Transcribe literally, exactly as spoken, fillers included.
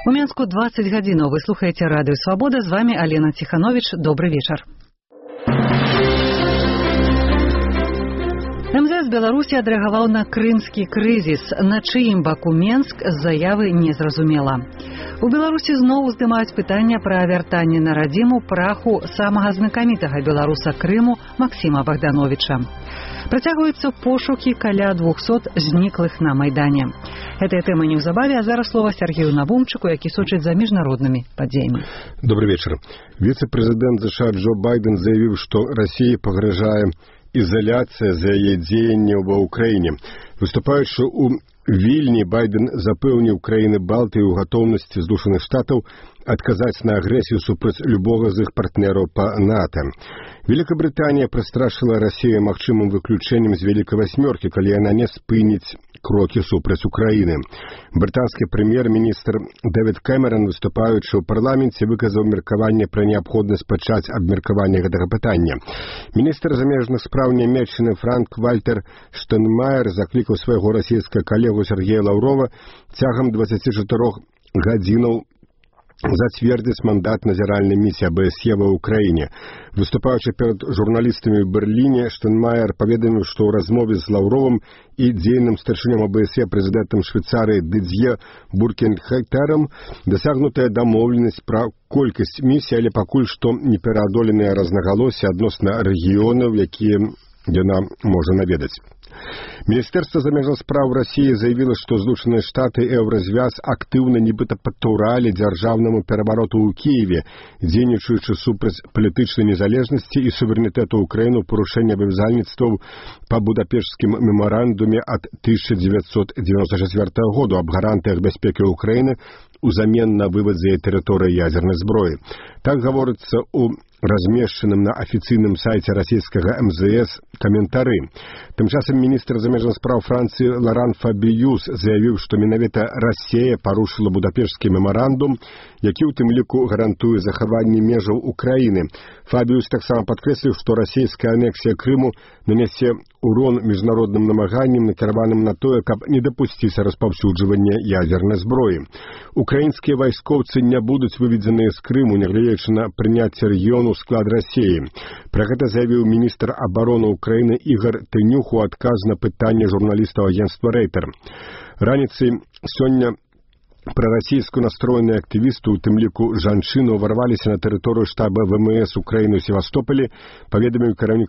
У Менску двадцать гадзінаў. Вы слухаеце радыё Свабода. З вами Алена Тиханович. Добрый вечар. эм зэ эс Беларусі адрэагаваў на крымскі крызіс. На чыім баку Менск з заявы незразумела. У Беларусі зноў уздымаюць пытанне пра вяртанне на радзіму праху самага знакамітага беларуса Крыму Максіма Богдановича. Працягваюцца пошукі каля двухсот зніклых на Майдане. Гэтая тэма неўзабаве, а зараз слова Сергею Навумчыку, які сочыць за міжнароднымі падзеямі. Добрый вечер. Віцэ-прэзідэнт ЗША Джо Байден заявіў, што Расіі пагражае изоляция за яе дзеянне ва ўкраіне. Выступаючы ў Вільні, Байден запэўніў краіны Балтыі ў гатоўнасці Злучаных Штатаў адказаць на агрэсію супраць любога з іх партнераў па НАТО. Великабрытанія прастрашыла Расію магчымым выключэннем з Вялікай васьмёркі, калі яна не спыніць крокі супраць Украіны. Брытанскі прэм'ер-міністр Дэвід Кэмерон, выступаючы ў парламенце, выказаў меркаванне пра неабходнасць пачаць абмеркаванне гэтага пытання. Міністр замежных спраў Нямецчыны Франк Вальтер Штайнмаер заклікаў свайго расійскага калегу Сергея Лаўрова цягам дваццаці чатырох гадзінаў зацвердзіць мандат назіральнай місіі а бэ эс е ва ўкраіне. Выступаючы перад журналістамі ў Берліне, Штайнмаер паведаміў, што ў размове з Лаўровым і дзейным старшынём а бэ эс е прэзідэнтам Швейцарыі Дыдзье Буркенхайтерам дасягнутая дамоўленасць пра колькасць місій, але пакуль што непераадоленыя рознагалоссі адносна рэгіёнаў, якія яна можа наведаць. Міністэрства замежных спраў Расіі заявіла, што Злучаныя Штаты і Еўразвяз актыўна нібыта падтуралі дзяржаўнаму перавароту ў Кіеве, дзейнічаючы супраць палітычнай незалежнасці і суверэнітэту Украіны ў парушэнні абавязальніцтваў па будапешцкім мемарандуме ад тысяча дзевяцьсот дзевяносто чацвёртага году аб гарантыях бяспекі Украіны узамен на вывад з яе тэрыторыі ядзернай зброі. Так гаворыцца ў размешчаным на афіцыйным сайце расійскага эм зэ эс каментары. Тым часам міністр замежных спраў Францыі Лоран Фабіюс заявіў, што менавіта Расія парушыла будапешцкі мемарандум, які ў тым ліку гарантуе захаванне межаў Украіны. Фабіюс таксама падкрэсліў, што расійская анексія Крыму нанясе урон міжнародным намаганням, накіраваным на тое, каб не дапусціць распаўсюджвання ядзернай зброі. Украінскія вайскоўцы не будуць выведзеныя з Крыму, нягледзячы на прыняцце рэгіёну ў склад Расіі. Пра гэта заявіў міністр абароны Украіны Ігор Тынюх у адказ на пытанне журналістаў агенцтва Рейтер. Раніцай сёння прарасійску настроеныя актывісты, у тым ліку жанчыны, уварваліся на тэрыторыю штаба вэ эм эс Украіны ў Севастополі, паведаміў кіраўнік